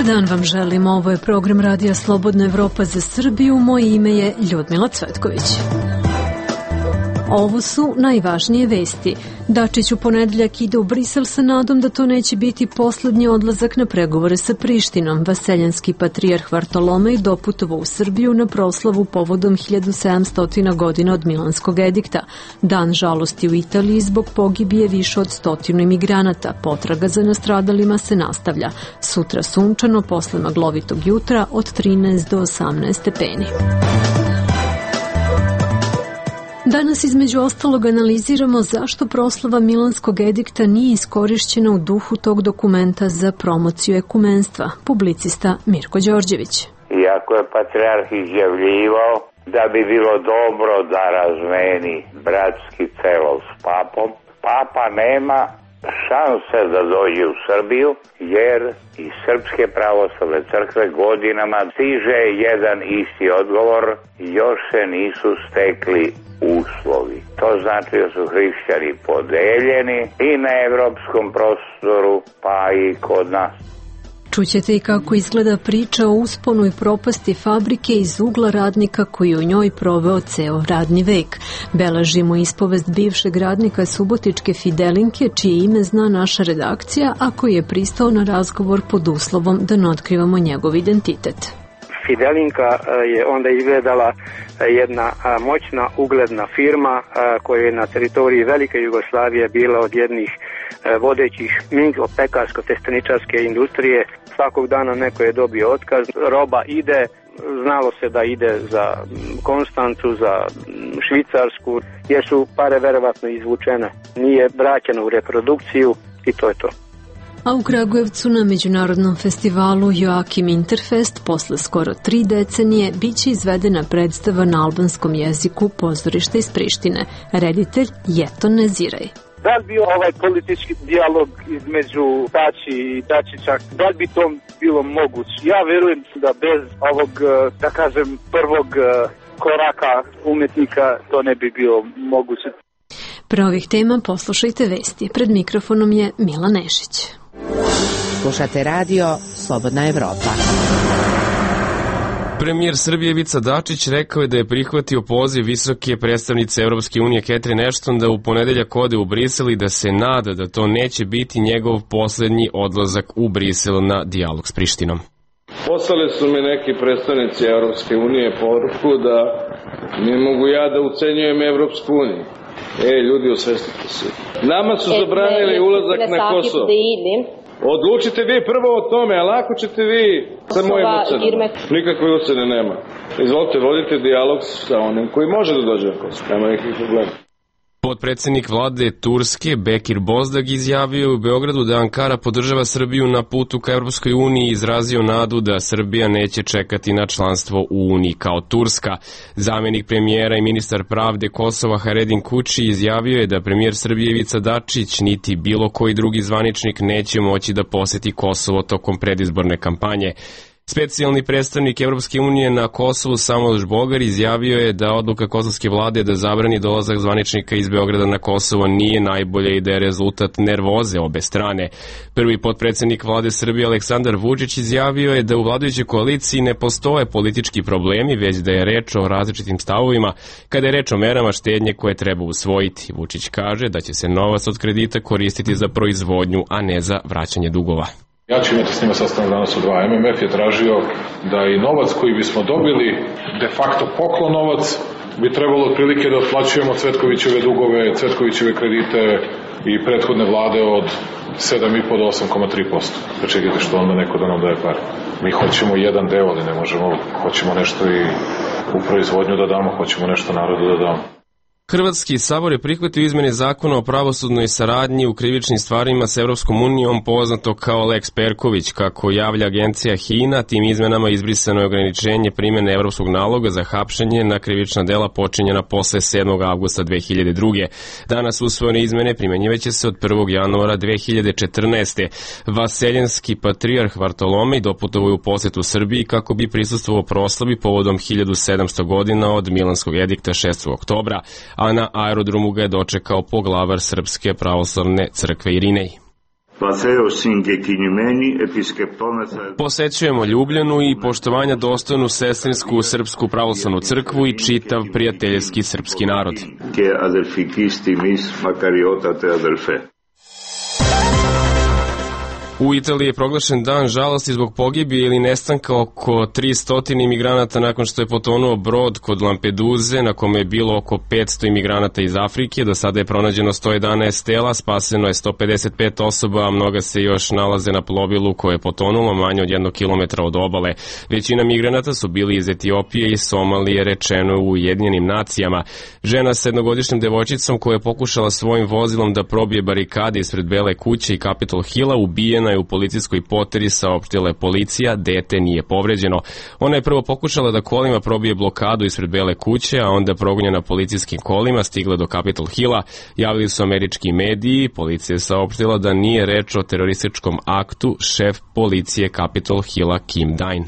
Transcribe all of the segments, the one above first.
dan vam želim, ovo je program Radija Slobodna Evropa za Srbiju, moje ime je Ljudmila Cvetković. Ovo su najvažnije vesti. Dačić u ponedeljak ide u Brisel sa nadom da to neće biti poslednji odlazak na pregovore sa Prištinom. Vaseljanski patrijarh Vartolomej doputovao u Srbiju na proslavu povodom 1700 godina od Milanskog edikta. Dan žalosti u Italiji zbog pogibije više od 100 imigranata. Potraga za nastradalima se nastavlja. Sutra sunčano, posle maglovitog jutra od 13 do 18 stepeni. Danas između ostalog analiziramo zašto proslava Milanskog edikta nije iskorišćena u duhu tog dokumenta za promociju ekumenstva. Publicista Mirko Đorđević. Iako je patrijarh izjavljivao da bi bilo dobro da razmeni bratski celo s papom, papa nema šanse da dođe u Srbiju, jer iz Srpske pravoslavne crkve godinama stiže jedan isti odgovor: još se nisu stekli uslovi. To znači da su hrišćani podeljeni i na evropskom prostoru, pa i kod nas. Čućete i kako izgleda priča o usponu i propasti fabrike iz ugla radnika koji u njoj proveo ceo radni vek. Beležimo ispovest bivšeg radnika subotičke Fidelinke, čije ime zna naša redakcija, a koji je pristao na razgovor pod uslovom da ne otkrivamo njegov identitet. Fidelinka je onda izgledala jedna moćna, ugledna firma koja je na teritoriji Velike Jugoslavije bila od jednih vodećih pekarsko-testeničarske industrije. Svakog dana neko je dobio otkaz, roba ide, znalo se da ide za Konstancu, za Švicarsku, jer su pare verovatno izvučene. Nije vraćeno u reprodukciju i to je to. A u Kragujevcu na međunarodnom festivalu Joakim Interfest posle skoro 3 decenije biće izvedena predstava na albanskom jeziku Pozorište iz Prištine. Reditelj Jeton Neziraj. Da li bi ovaj politički dijalog između Tači i Dačića, da li bi to bilo moguće? Ja verujem da bez ovog, da kažem, prvog koraka umetnika to ne bi bilo moguće. Pre ovih tema poslušajte vesti. Pred mikrofonom je Mila Nešić. Slušate radio Slobodna Evropa. Premijer Srbije Ivica Dačić rekao je da je prihvatio poziv visoke predstavnice Evropske unije Catherine Ashton da u ponedeljak ode u Brisel i da se nada da to neće biti njegov poslednji odlazak u Brisel na dijalog s Prištinom. Poslali su mi neki predstavnici Evropske unije poruku da ne mogu ja da ucenjujem Evropsku uniju. Ljudi, osvestite se. Nama su zabranili ulazak na Kosovo. Odlučite vi prvo o tome, a lako ćete vi sa mojim ocenom. Nikakve ocene nema. Izvolite, vodite dijalog sa onim koji može da dođe na Kosovo. Nema nekih problema. Potpredsednik vlade Turske Bekir Bozdag izjavio u Beogradu da Ankara podržava Srbiju na putu ka Evropskoj uniji i izrazio nadu da Srbija neće čekati na članstvo u Uniji kao Turska. Zamenik premijera i ministar pravde Kosova Haredin Kuči izjavio je da premijer Srbije Ivica Dačić niti bilo koji drugi zvaničnik neće moći da poseti Kosovo tokom predizborne kampanje. Specijalni predstavnik Evropske unije na Kosovu Samuel Žbogar izjavio je da odluka kosovske vlade da zabrani dolazak zvaničnika iz Beograda na Kosovo nije najbolje i da je rezultat nervoze obe strane. Prvi potpredsednik vlade Srbije Aleksandar Vučić izjavio je da u vladajućoj koaliciji ne postoje politički problemi, već da je reč o različitim stavovima kada je reč o merama štednje koje treba usvojiti. Vučić kaže da će se novac od kredita koristiti za proizvodnju, a ne za vraćanje dugova. Ja ću imati s njima sastanak danas u 2. MMF je tražio da i novac koji bismo dobili, de facto poklon novac, bi trebalo otprilike da otplaćujemo Cvetkovićeve dugove, Cvetkovićeve kredite i prethodne vlade od 7,5 do 8,3%. Pa čekajte što onda neko da nam daje pare. Mi hoćemo jedan deo, ali ne možemo, hoćemo nešto i u proizvodnju da damo, hoćemo nešto narodu da damo. Hrvatski sabor je prihvatio izmene zakona o pravosudnoj saradnji u krivičnim stvarima s Evropskom unijom, poznato kao Lex Perković. Kako javlja agencija HINA, tim izmenama izbrisano je ograničenje primjene evropskog naloga za hapšenje na krivična dela počinjena posle 7. avgusta 2002. Danas usvojene izmene primjenjivaće se od 1. januara 2014. Vaseljanski patrijarh Vartolomej doputovao u posetu Srbiji kako bi prisustvovao proslavi povodom 1700 godina od Milanskog edikta 6. oktobra, a na aerodromu ga je dočekao poglavar Srpske pravoslavne crkve Irinej. Posećujemo Ljubljanu i poštovanja dostojnu sestrinsku srpsku pravoslavnu crkvu i čitav prijateljski srpski narod. U Italiji je proglašen dan žalosti zbog pogibije ili nestanka oko 300 imigranata nakon što je potonuo brod kod Lampeduze na kome je bilo oko 500 imigranata iz Afrike. Do sada je pronađeno 111 tela, spaseno je 155 osoba, a mnoga se još nalaze na plovilu koje je potonulo manje od 1 kilometra od obale. Većina migranata su bili iz Etiopije i Somalije, rečeno u Ujedinjenim nacijama. Žena sa jednogodišnjom devojčicom koja je pokušala svojim vozilom da probije barikade ispred Bele kuće i Capitol Hilla ubijena je u policijskoj poteri, saopštila je policija, dete nije povređeno. Ona je prvo pokušala da kolima probije blokadu ispred Bele kuće, a onda progonjena policijskim kolima stigla do Capitol Hilla. Javili su američki mediji, policija je saopštila da nije reč o terorističkom aktu, šef policije Capitol Hilla Kim Dine.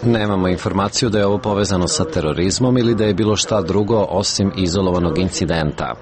Nemamo informaciju da je ovo povezano sa terorizmom ili da je bilo šta drugo osim izolovanog incidenta.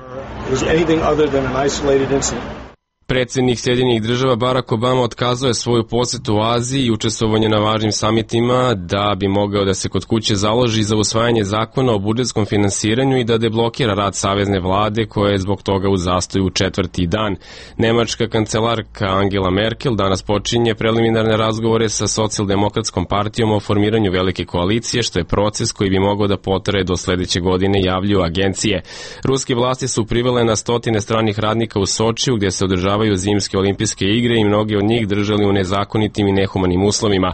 Predsjednik Sjedinjenih država Barack Obama otkazao je svoju posetu u Aziji i učestvovanje na važnim samitima da bi mogao da se kod kuće založi za usvajanje zakona o budžetskom finansiranju i da deblokira rad savezne vlade koja je zbog toga u zastoju 4. dan. Nemačka kancelarka Angela Merkel danas počinje preliminarne razgovore sa socijaldemokratskom partijom o formiranju velike koalicije, što je proces koji bi mogao da potraje do sledeće godine, javljuju agencije. Ruske vlasti su privele na stotine stranih radnika u Sočiju gdje se održavaju zimske olimpijske igre i mnogi od njih držali u nezakonitim i nehumanim uslovima.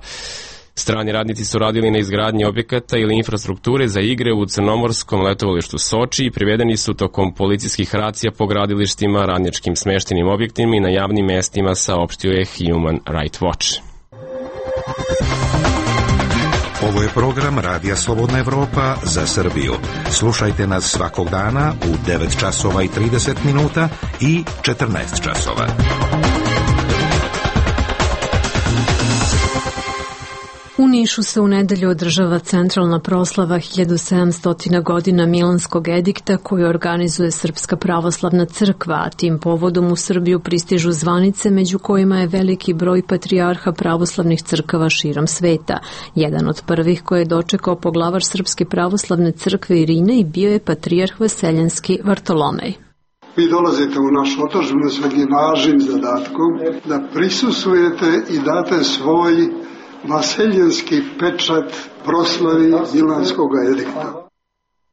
Strani radnici su radili na izgradnji objekata ili infrastrukture za igre u crnomorskom letovalištu Soči i privedeni su tokom policijskih racija po gradilištima, radničkim smeštenim objektima i na javnim mestima, saopštio je Human Rights Watch. Ovo je program Radija Slobodna Evropa za Srbiju. Slušajte nas svakog dana u 9 časova i 30 minuta i 14 časova. U Nišu se u nedelju održava centralna proslava 1700 godina Milanskog edikta koju organizuje Srpska pravoslavna crkva, a tim povodom u Srbiju pristižu zvanice među kojima je veliki broj patrijarha pravoslavnih crkava širom sveta. Jedan od prvih koje je dočekao poglavar Srpske pravoslavne crkve Irine i bio je patrijarh Vaseljenski Vartolomej. Vi dolazite u našu otadžbinu s nekim važnim zadatkom da prisustvujete i date svoj vaseljenski pečat proslavi Milanskog edikta.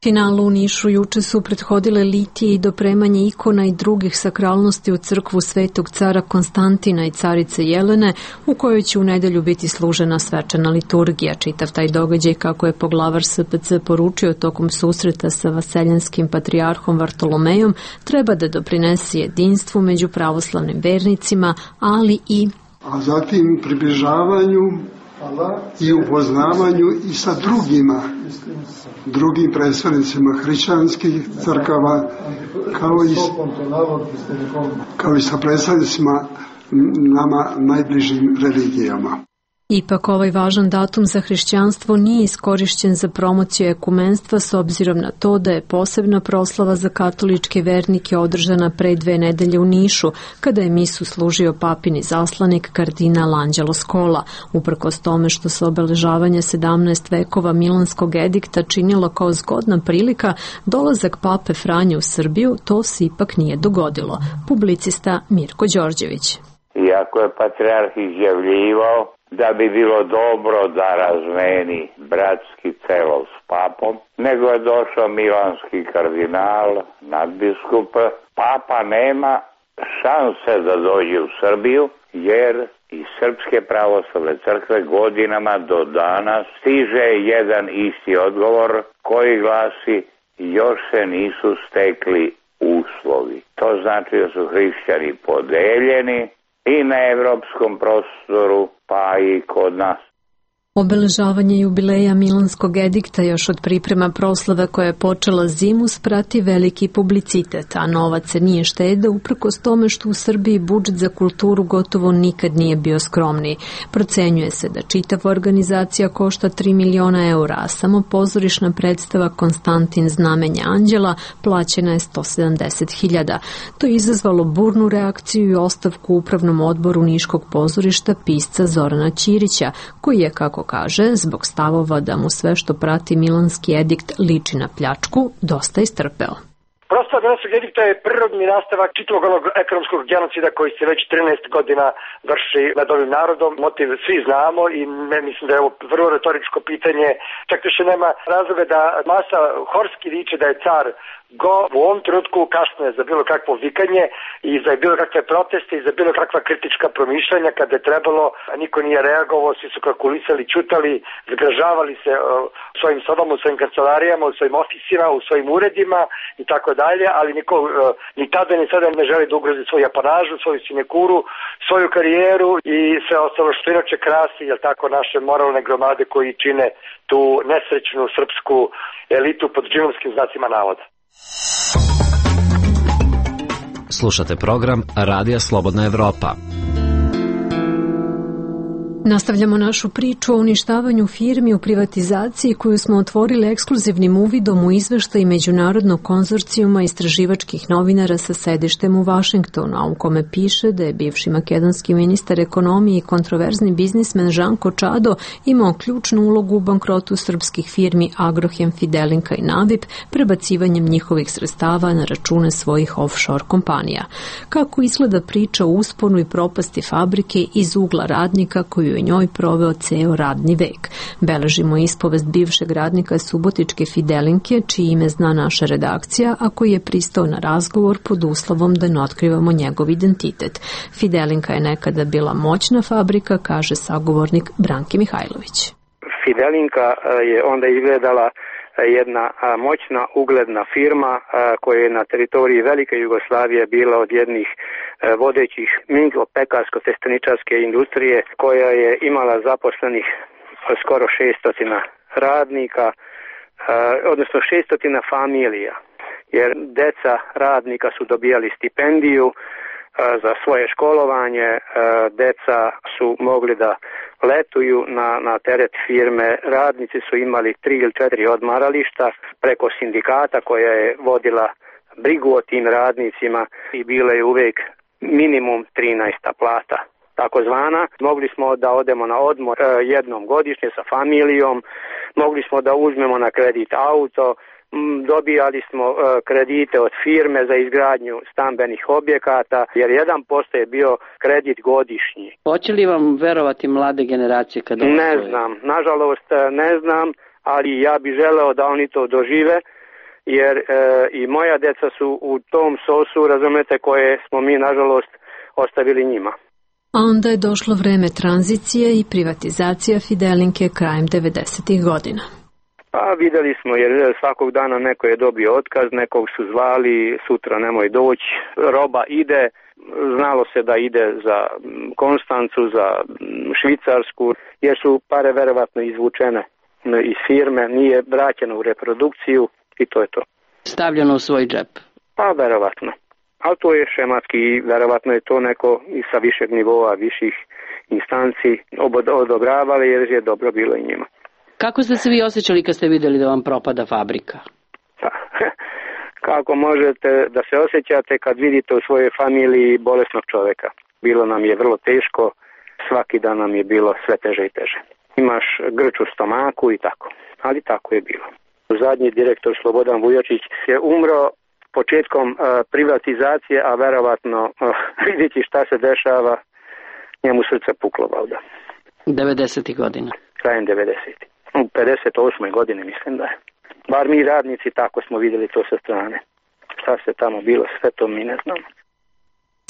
Finalu u Nišu juče su prethodile litije i dopremanje ikona i drugih sakralnosti u crkvu Svetog cara Konstantina i carice Jelene, u kojoj će u nedelju biti služena svečana liturgija. Čitav taj događaj, kako je poglavar SPC poručio tokom susreta sa vaseljenskim patrijarhom Vartolomejom, treba da doprinese jedinstvu među pravoslavnim vernicima, ali i a zatim približavanju i upoznavanju i sa drugim predstavnicima hrišćanskih crkava, kao i sa predstavnicima nama najbližim religijama. Ipak ovaj važan datum za hrišćanstvo nije iskorišćen za promociju ekumenstva s obzirom na to da je posebna proslava za katoličke vernike održana pre 2 nedelje u Nišu, kada je misu služio papin izaslanik kardinal Anđelo Scola. Uprkos tome što se obeležavanje 17 vekova Milanskog edikta činilo kao zgodna prilika, dolazak pape Franje u Srbiju, to se ipak nije dogodilo. Publicista Mirko Đorđević. Iako je patrijarh izjavljivao da bi bilo dobro da razmeni bratski celov s papom, nego je došao milanski kardinal, nadbiskup. Papa nema šanse da dođe u Srbiju, jer iz Srpske pravoslavne crkve godinama do danas stiže jedan isti odgovor koji glasi: još se nisu stekli uslovi. To znači da su hrišćani podeljeni i na evropskom prostoru, pa i kod nas. Obeležavanje jubileja Milanskog edikta još od priprema proslave koja je počela zimu sprati veliki publicitet, a novac se nije štedeo uprkos tome što u Srbiji budžet za kulturu gotovo nikad nije bio skromniji. Procenjuje se da čitava organizacija košta 3 miliona eura, a samo pozorišna predstava Konstantin Znamenje anđela plaćena je 170.000. To je izazvalo burnu reakciju i ostavku u upravnom odboru Niškog pozorišta pisca Zorana Ćirića, koji je, kako kaže, zbog stavova da mu sve što prati Milanski edikt liči na pljačku, dosta istrpeo. Prosto Milanskog edikta je prirodni nastavak čitavog onog ekonomskog genocida koji se već 13 godina vrši nad ovim narodom. Motiv svi znamo i mislim da je ovo vrlo retoričko pitanje. Čak više nema razloga da masa horski viče da je car go u ovom trenutku kasno je za bilo kakvo vikanje i za bilo kakve proteste i za bilo kakva kritička promišljanja kada je trebalo, a niko nije reagovao, svi su kalkulisali, čutali, zgražavali se u svojim sobama, u svojim kancelarijama, u svojim ofisima, u svojim uredima i tako dalje, ali niko ni tada ni sada ne želi da ugrozi svoju apanažu, svoju sinekuru, svoju karijeru i sve ostalo što inače krasi, jel tako, naše moralne gromade koji čine tu nesrećnu srpsku elitu pod džinovskim znacima navoda. Slušate program Radija Slobodna Evropa. Nastavljamo našu priču o uništavanju firmi u privatizaciji koju smo otvorili ekskluzivnim uvidom u izveštaj Međunarodnog konzorcijuma istraživačkih novinara sa sedištem u Vašingtonu, a u kome piše da je bivši makedonski ministar ekonomije i kontroverzni biznismen Žanko Čado imao ključnu ulogu u bankrotu srpskih firmi Agrohem, Fidelinka i Navip, prebacivanjem njihovih sredstava na račune svojih offshore kompanija. Kako izgleda priča o usponu i propasti fabrike iz ugla radnika koju je njoj proveo ceo radni vek. Beležimo ispovest bivšeg radnika subotičke Fidelinke, čije ime zna naša redakcija, a koji je pristao na razgovor pod uslovom da ne otkrivamo njegov identitet. Fidelinka je nekada bila moćna fabrika, kaže sagovornik Branki Mihajlović. Fidelinka je onda izgledala jedna moćna, ugledna firma koja je na teritoriji Velike Jugoslavije bila od jednih vodećih pekarsko-testeničarske industrije, koja je imala zaposlenih skoro 600 radnika, odnosno 600 familija, jer deca radnika su dobijali stipendiju za svoje školovanje, deca su mogli da letuju na teret firme, radnici su imali 3 ili 4 odmarališta preko sindikata koja je vodila brigu o tim radnicima i bila je uvek minimum 13. plata takozvana. Mogli smo da odemo na odmor jednom godišnje sa familijom, mogli smo da uzmemo na kredit auto, dobijali smo kredite od firme za izgradnju stambenih objekata, jer 1% je bio kredit godišnji. Hoće li vam verovati mlade generacije kada ovo Ne znam, nažalost ne znam, ali ja bih želeo da oni to dožive, jer i moja deca su u tom sosu, razumete, koje smo mi nažalost ostavili njima. A onda je došlo vreme tranzicije i privatizacija Fidelinke krajem 90. godina. Pa videli smo, jer svakog dana neko je dobio otkaz, nekog su zvali, sutra nemoj doći, roba ide, znalo se da ide za Konstancu, za Švicarsku, jer su pare verovatno izvučene iz firme, nije vraćeno u reprodukciju i to je to. Stavljeno u svoj džep? Pa verovatno. Ali to je šematski i verovatno je to neko i sa višeg nivoa, viših instanci odobravali jer je dobro bilo i njima. Kako ste se vi osjećali kad ste vidjeli da vam propada fabrika? Pa, kako možete da se osjećate kad vidite u svojoj familiji bolesnog čoveka? Bilo nam je vrlo teško, svaki dan nam je bilo sve teže i teže. Imaš grč u stomaku i tako, ali tako je bilo. Zadnji direktor Slobodan Vujačić je umro početkom privatizacije, a verovatno vidjeti šta se dešava, njemu srce puklo valjda. 90. godina. Krajem 90. U 58. godini mislim da je. Bar mi radnici tako smo vidjeli to sa strane. Šta se tamo bilo, sve to mi ne znamo.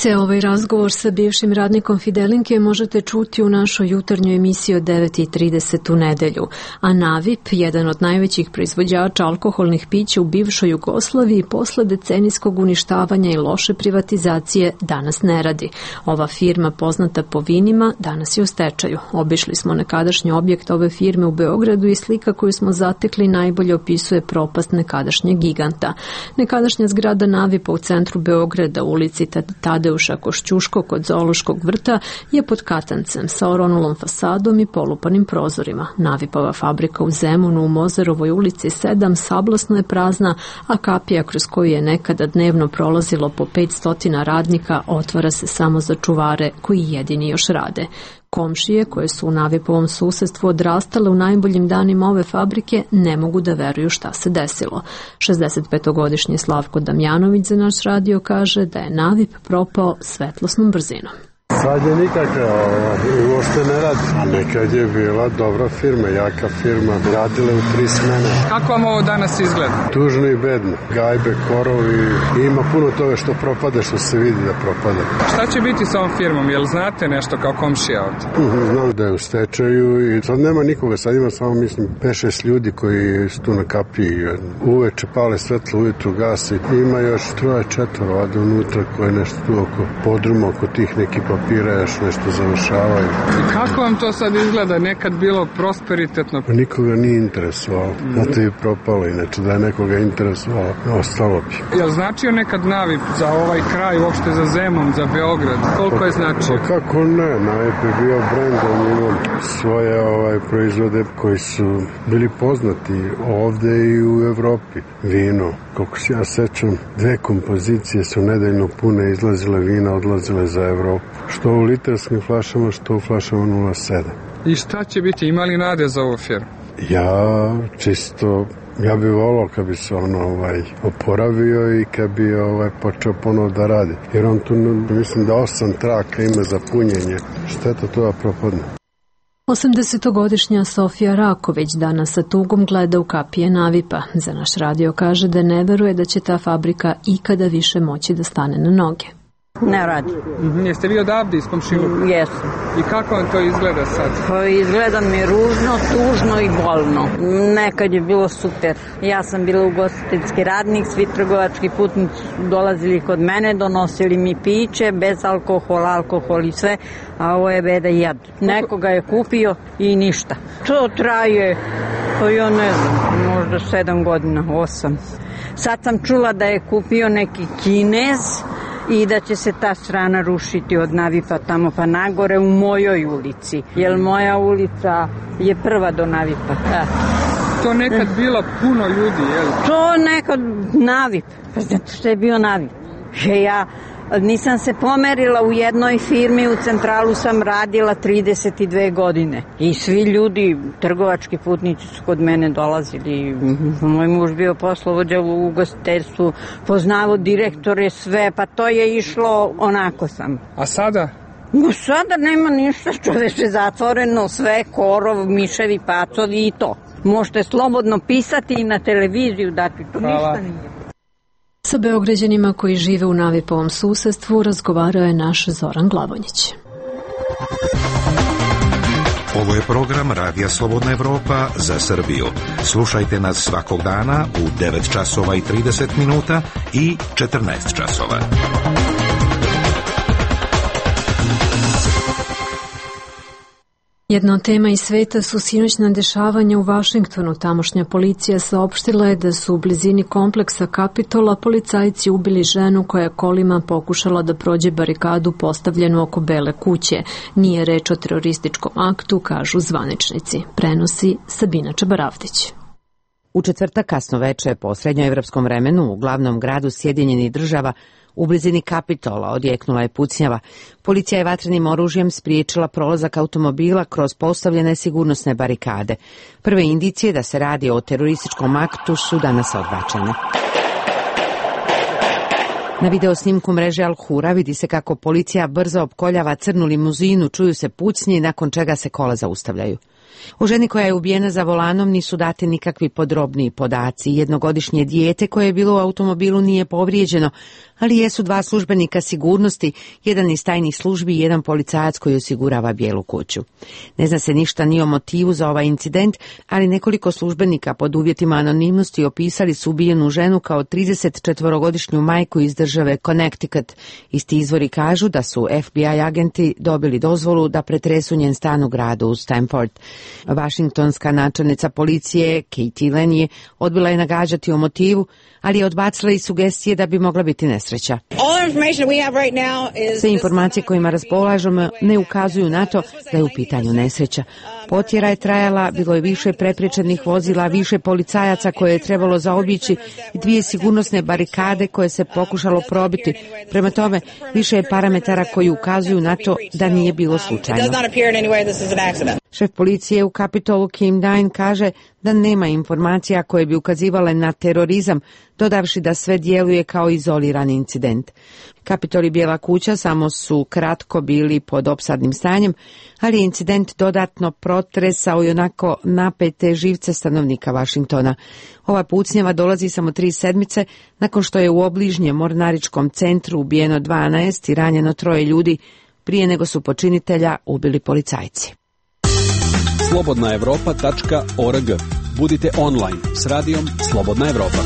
Ceo ovaj razgovor sa bivšim radnikom Fidelinke možete čuti u našoj jutarnjoj emisiji od 9:30 u nedelju. A Navip, jedan od najvećih proizvođača alkoholnih pića u bivšoj Jugoslaviji, posle decenijskog uništavanja i loše privatizacije, danas ne radi. Ova firma, poznata po vinima, danas je u stečaju. Obišli smo nekadašnji objekt ove firme u Beogradu i slika koju smo zatekli najbolje opisuje propast nekadašnjeg giganta. Nekadašnja zgrada Navipa u centru Beograda, u ulici Tadeuša Košćuško kod Zoološkog vrta, je pod katancem sa oronulom fasadom i polupanim prozorima. Navipova fabrika u Zemunu u Mozerovoj ulici 7 sablasno je prazna, a kapija kroz koju je nekada dnevno prolazilo po 500 radnika otvara se samo za čuvare koji jedini još rade. Komšije, koje su u Navipovom susedstvu odrastale u najboljim danima ove fabrike, ne mogu da veruju šta se desilo. 65-godišnji Slavko Damjanović za naš radio kaže da je Navip propao svetlosnom brzinom. Sad je nikakve, uopšte ne radi. A nekad je bila dobra firma, jaka firma, radile u 3 smene. Kako vam ovo danas izgleda? Tužno i bedno. Gajbe, korovi, ima puno toga što propade, što se vidi da propade. Šta će biti sa ovom firmom? Jel znate nešto kao komšija ovdje? Znam da je u stečaju i sad nema nikoga, sad ima samo, mislim, 5-6 ljudi koji su tu na kapiji. Uveče pale svetlo, ujutru gasi. Ima još 3-4 vade unutra koje nešto tu oko podruma, oko tih nekih papira još nešto završavaju. I kako vam to sad izgleda? Nekad bilo prosperitetno? Nikoga nije interesovalo. Zato je propalo, inače da je nekoga interesovalo, ostalo bi. Jel značio nekad Navip za ovaj kraj, uopšte za Zemun, za Beograd? Koliko je značio? Pa kako ne, Navip je bio brend, on imao svoje proizvode koji su bili poznati ovde i u Evropi. Vino, koliko se ja sećam, 2 kompozicije su nedeljno pune, izlazile vina, odlazile za Evropu. Što u litarskim flašama, što u flašama 0,7. I šta će biti? Ima li nade za ovu firmu? Ja bih volao kad bi se oporavio i kad bi počeo ponovo da radi. Jer on tu, mislim da 8 traka ima za punjenje. Šteta to da propadne. 80-godišnja Sofija Raković danas sa tugom gleda u kapije Navipa. Za naš radio kaže da ne veruje da će ta fabrika ikada više moći da stane na noge. Ne radi. Jeste vi odavde iz komšiluka? Jesam. I kako vam to izgleda sad? Izgleda mi ružno, tužno i bolno. Nekad je bilo super. Ja sam bila ugostiteljski radnik, svi trgovački putnici dolazili kod mene, donosili mi piće, bez alkohola, alkohol i sve, a ovo je beda i jad. Nekoga je kupio i ništa. To traje, to ja ne znam, možda 7 godina, 8. Sad sam čula da je kupio neki Kinez i da će se ta strana rušiti od Navipa tamo pa nagore u mojoj ulici. Jer moja ulica je prva do Navipa. To nekad bilo puno ljudi, jel? To nekad Navip. Pa znate što je bio Navip? Ja nisam se pomerila u jednoj firmi, u centralu sam radila 32 godine. I svi ljudi, trgovački putnici su kod mene dolazili. Moj muž bio poslovođa u ugostiteljstvu, poznavao direktore, sve, pa to je išlo onako sam. A sada? Sada nema ništa, čoveče, zatvoreno, sve, korov, miševi, pacovi i to. Možete slobodno pisati i na televiziju dati, to ništa nije. Sa Beograđanima koji žive u Navipovom susedstvu razgovarao je naš Zoran Glavonjić. Ovo je program Radija Slobodna Evropa za Srbiju. Slušajte nas svakog dana u 9 časova i 30 minuta i 14 časova. Jedna od tema iz sveta su sinoćna dešavanja u Vašingtonu. Tamošnja policija saopštila je da su u blizini kompleksa Kapitola policajci ubili ženu koja je kolima pokušala da prođe barikadu postavljenu oko Bele kuće. Nije reč o terorističkom aktu, kažu zvaničnici. Prenosi Sabina Čabaravdić. U četvrtak kasno veče po srednjoevropskom vremenu u glavnom gradu Sjedinjenih Država u blizini Kapitola odjeknula je pucnjava. Policija je vatrenim oružjem spriječila prolazak automobila kroz postavljene sigurnosne barikade. Prve indicije da se radi o terorističkom aktu su danas odbačene. Na video snimku mreže Al Hura vidi se kako policija brzo opkoljava crnu limuzinu, čuju se pucnje, nakon čega se kola zaustavljaju. O ženi koja je ubijena za volanom nisu dati nikakvi podrobniji podaci. Jednogodišnje dijete koje je bilo u automobilu nije povrijeđeno, ali jesu 2 službenika sigurnosti, jedan iz tajnih službi i jedan policajac koji osigurava Bijelu kuću. Ne zna se ništa ni o motivu za ovaj incident, ali nekoliko službenika pod uvjetima anonimnosti opisali su ubijenu ženu kao 34-godišnju majku iz države Connecticut. Isti izvori kažu da su FBI agenti dobili dozvolu da pretresu njen stan u gradu Stamford. Vašingtonska načelnica policije Katie Lane odbila je nagađati o motivu, ali je odbacila i sugestije da bi mogla biti nesreća. Sve informacije kojima raspolažemo ne ukazuju na to da je u pitanju nesreća. Potjera je trajala, bilo je više prepriječenih vozila, više policajaca koje je trebalo zaobići i 2 sigurnosne barikade koje se pokušalo probiti. Prema tome, više je parametara koji ukazuju na to da nije bilo slučajno. Šef policije u Kapitolu Kim Dine kaže da nema informacija koje bi ukazivale na terorizam, dodavši da sve djeluje kao izoliran incident. Kapitol i Bijela kuća samo su kratko bili pod opsadnim stanjem, ali je incident dodatno protresao i onako napete živce stanovnika Vašingtona. Ova pucnjava dolazi samo 3 sedmice nakon što je u obližnjem mornaričkom centru ubijeno 12 i ranjeno 3 ljudi prije nego su počinitelja ubili policajci. slobodnaevropa.org. Budite online s radijom Slobodna Evropa.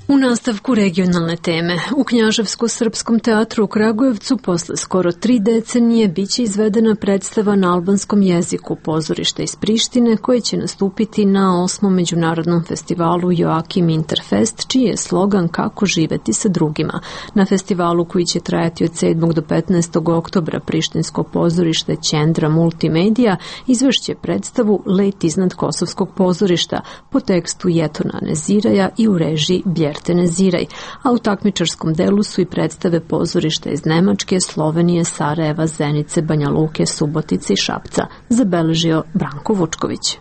U nastavku regionalne teme, u Knjaževsko-srpskom teatru u Kragujevcu posle skoro 3 decenije biće izvedena predstava na albanskom jeziku pozorišta iz Prištine koje će nastupiti na 8. međunarodnom festivalu Joakim Interfest, čiji je slogan Kako živeti sa drugima. Na festivalu koji će trajati od 7. do 15. oktobra Prištinsko pozorište Ćendra Multimedia izvešće predstavu Let iznad Kosovskog pozorišta po tekstu Jetona Neziraja i u režiji Bjer Teneziraj, a u takmičarskom delu su i predstave pozorišta iz Nemačke, Slovenije, Sarajeva, Zenice, Banja Luke, Subotice i Šapca, zabeležio Branko Vučković.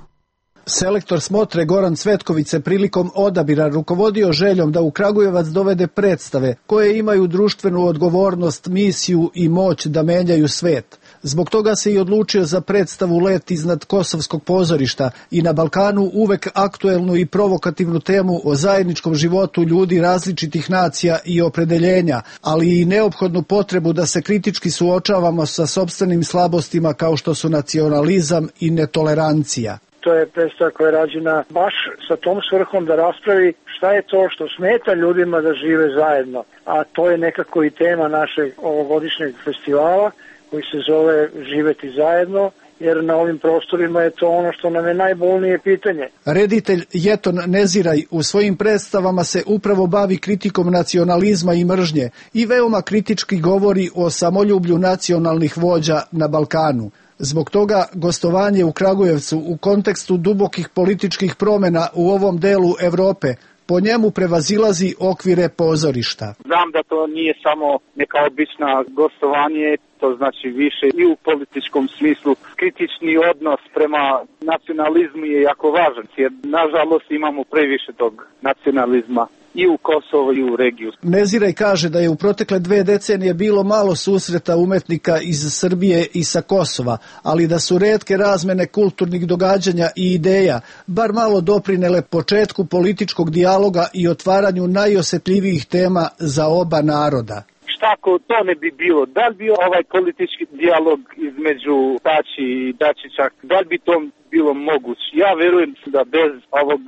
Selektor Smotre Goran Cvetković se prilikom odabira rukovodio željom da u Kragujevac dovede predstave koje imaju društvenu odgovornost, misiju i moć da menjaju svet. Zbog toga se i odlučio za predstavu Let iznad Kosovskog pozorišta i na Balkanu uvek aktuelnu i provokativnu temu o zajedničkom životu ljudi različitih nacija i opredeljenja, ali i neophodnu potrebu da se kritički suočavamo sa sopstvenim slabostima kao što su nacionalizam i netolerancija. To je predstava koja je rađena baš sa tom svrhom da raspravi šta je to što smeta ljudima da žive zajedno, a to je nekako i tema našeg ovogodišnjeg festivala koji se zove Živeti zajedno, jer na ovim prostorima je to ono što nam je najbolnije pitanje. Reditelj Jeton Neziraj u svojim predstavama se upravo bavi kritikom nacionalizma i mržnje i veoma kritički govori o samoljublju nacionalnih vođa na Balkanu. Zbog toga gostovanje u Kragujevcu u kontekstu dubokih političkih promjena u ovom delu Evrope po njemu prevazilazi okvire pozorišta. Znam da to nije samo neka obična gostovanje, to znači više i u političkom smislu. Kritični odnos prema nacionalizmu je jako važan, jer nažalost imamo previše tog nacionalizma i u Kosovo i u regiju. Neziraj kaže da je u protekle 2 decenije bilo malo susreta umetnika iz Srbije i sa Kosova, ali da su retke razmene kulturnih događanja i ideja bar malo doprinele početku političkog dijaloga i otvaranju najosjetljivijih tema za oba naroda. Šta ako to ne bi bilo? Da li bi ovaj politički dijalog između Tači i Dačića, da li bi to bilo moguće? Ja verujem da bez ovog,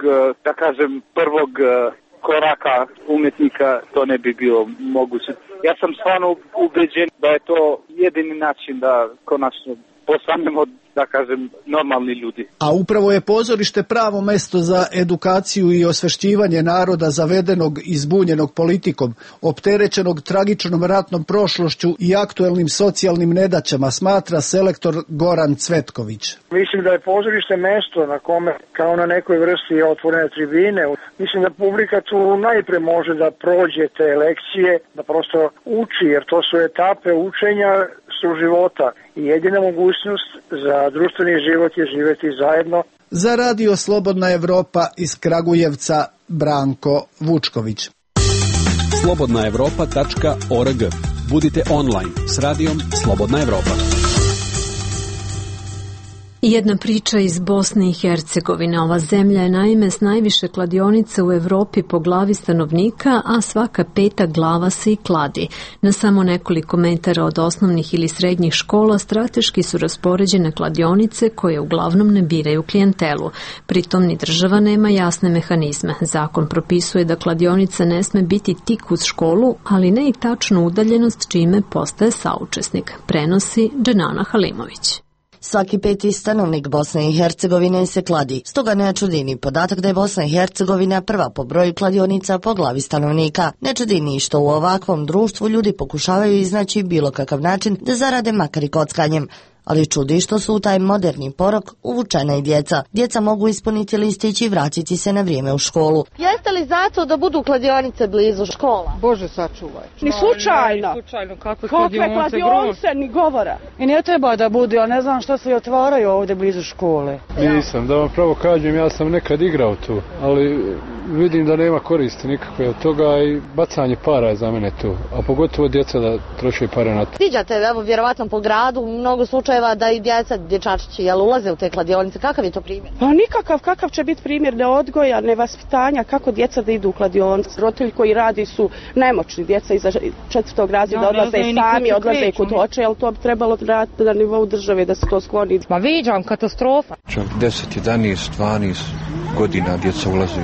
da kažem, prvog koraka umetnika to ne bi bilo moguće. Ja sam stvarno ubeđen da je to jedini način da konačno postanemo, da kažem, normalni ljudi. A upravo je pozorište pravo mesto za edukaciju i osvešćivanje naroda zavedenog i zbunjenog politikom, opterećenog tragičnom ratnom prošlošću i aktuelnim socijalnim nedaćama, smatra selektor Goran Cvetković. Mislim da je pozorište mesto na kome, kao na nekoj vrsti otvorene tribine, mislim da publika tu najpre može da prođe te lekcije, da prosto uči, jer to su etape učenja su života i jedina mogućnost za društveni život je živjeti zajedno. Za Radio Slobodna Evropa iz Kragujevca, Branko Vučković. slobodnaevropa.org. Budite online s radijom Slobodna Evropa. I jedna priča iz Bosne i Hercegovine. Ova zemlja je naime s najviše kladionica u Evropi po glavi stanovnika, a svaka 5. glava se i kladi. Na samo nekoliko metara od osnovnih ili srednjih škola strateški su raspoređene kladionice koje uglavnom ne biraju klijentelu. Pritom ni država nema jasne mehanizme. Zakon propisuje da kladionica ne sme biti tik uz školu, ali ne i tačnu udaljenost čime postaje saučesnik, prenosi Dženana Halimović. Svaki 5. stanovnik Bosne i Hercegovine se kladi. Stoga ne čudi ni podatak da je Bosna i Hercegovina prva po broju kladionica po glavi stanovnika. Ne čudi ni što u ovakvom društvu ljudi pokušavaju iznaći bilo kakav način da zarade makar i kockanjem. Ali čudi što su u taj moderni porok uvučena i djeca. Djeca mogu ispuniti listić i vratiti se na vrijeme u školu. Jeste li zato da budu kladionice blizu škola? Bože sačuvaj. Ni slučajno. Kakve kladionice, ni govora. I ne treba da bude, ja ne znam što se otvaraju ovdje blizu škole. Nisam, da vam pravo kažem, ja sam nekad igrao tu, ali vidim da nema koristi nikakve od toga i bacanje para je za mene tu, a pogotovo djeca da troše pare na to. Viđate, evo, vjerovatno po gradu, mnogo slučajeva da i djeca, dječačići, ulaze u te kladionice. Kakav je to primjer? Pa nikakav, kakav će biti primjer neodgoja, nevaspitanja, kako djeca da idu u kladionice. Roditelji koji radi su nemoćni, djeca iza 4. razreda odlaze sami, odlaze kod oče, ali to bi trebalo raditi na nivou države da se to skloni. Ma viđam, katastrofa. Čak 10, 11, 12 godina djeca ulaze.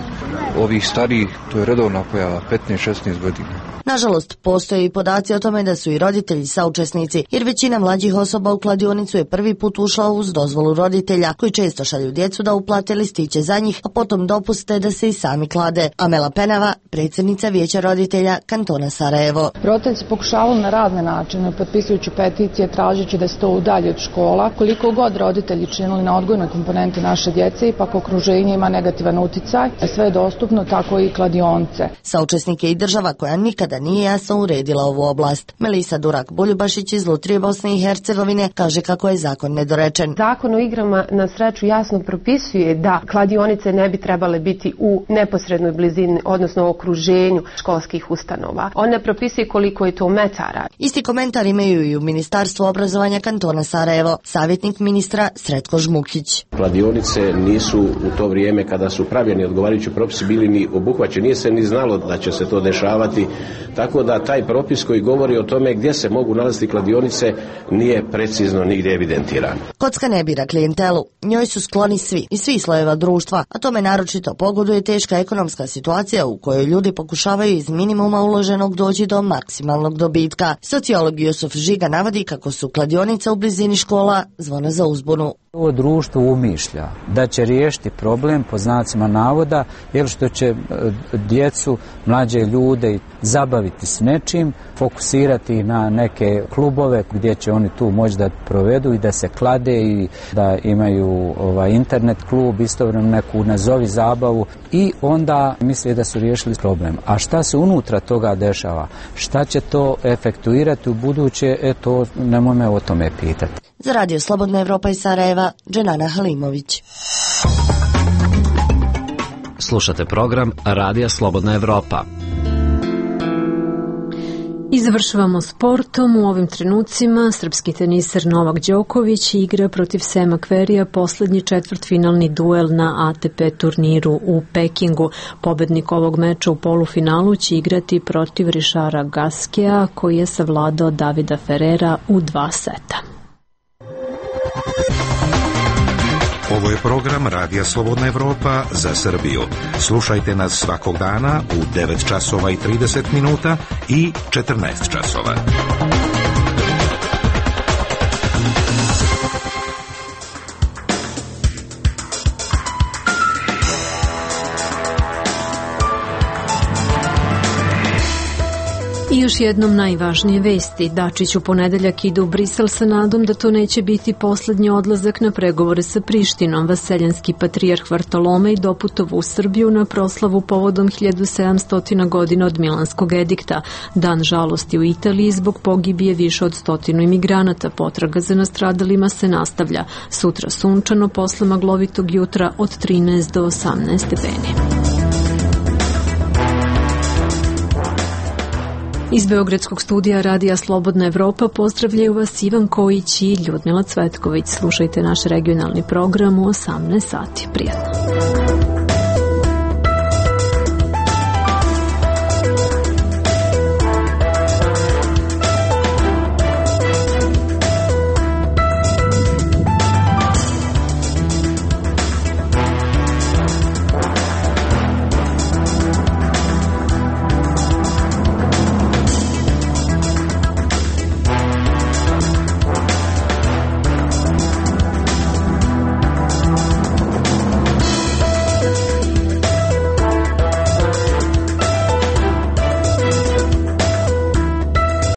Ovih starijih, to je redovna pojava, 15-16 godina. Nažalost, postoje i podaci o tome da su i roditelji saučesnici, jer većina mlađih osoba u kladionicu je prvi put ušla uz dozvolu roditelja, koji često šalju djecu da uplate listiće za njih, a potom dopuste da se i sami klade. Amela Penava, predsjednica Vijeća roditelja kantona Sarajevo. Roditelji se pokušavaju na razne načine, potpisujući peticije, tražeći da se to udalji od škola. Koliko god roditelji činili na odgojnoj komponenti naše djece, ipak okruženje ima negativan uticaj, sve je dostupno, tako i kladionice. Saučesnik je i država koja nikada nije jasno uredila ovu oblast. Melisa Durak-Boljubašić iz Lutrije Bosne i Hercegovine kaže kako je zakon nedorečen. Zakon o igrama na sreću jasno propisuje da kladionice ne bi trebale biti u neposrednoj blizini, odnosno okruženju školskih ustanova. On ne propisuje koliko je to metara. Isti komentar imaju i u Ministarstvu obrazovanja kantona Sarajevo, savjetnik ministra Sretko Žmukić. Kladionice nisu u to vrijeme kada su pravljeni odgovarajući propisi bili ni obuhvaćeni, nije se ni znalo da će se to dešavati. Tako da taj propis koji govori o tome gdje se mogu nalaziti kladionice nije precizno nigdje evidentiran. Kocka ne bira klijentelu, njoj su skloni svi i svi slojeva društva, a tome naročito pogoduje teška ekonomska situacija u kojoj ljudi pokušavaju iz minimuma uloženog doći do maksimalnog dobitka. Sociolog Jusuf Žiga navodi kako su kladionice u blizini škola zvona za uzbunu. Ovo društvo umišlja da će riješiti problem po znacima navoda, jer što će djecu, mlađe ljude zabaviti s nečim, fokusirati na neke klubove gdje će oni tu moći da provedu i da se klade i da imaju internet klub, istovremeno neku nazovi zabavu i onda misle da su riješili problem. A šta se unutra toga dešava? Šta će to efektuirati u buduće? To nemoj me o tome pitati. Za Radio Slobodna Evropa iz Sarajeva, Dženana Halimović. Slušate program Radija Slobodna Evropa. I završavamo sportom. U ovim trenucima srpski teniser Novak Đoković igra protiv Sema Kverija poslednji četvrtfinalni duel na ATP turniru u Pekingu. Pobednik ovog meča u polufinalu će igrati protiv Rišara Gaskea, koji je savladao Davida Ferrera u 2 seta. Ovo je program Radija Slobodna Evropa za Srbiju. Slušajte nas svakog dana u 9 časova i 30 minuta i 14 časova. I još jednom najvažnije vesti. Dačić u ponedeljak ide u Brisel sa nadom da to neće biti poslednji odlazak na pregovore sa Prištinom. Vaseljanski patrijarh Vartolomej doputovao u Srbiju na proslavu povodom 1700 godina od Milanskog edikta. Dan žalosti u Italiji zbog pogibije više od 100 imigranata. Potraga za nastradalima se nastavlja. Sutra sunčano posle maglovitog jutra od 13 do 18 stepeni. Iz Beogradskog studija Radija Slobodna Evropa pozdravljaju vas Ivan Kojić i Ljudmila Cvetković. Slušajte naš regionalni program u 18 sati. Prijatno.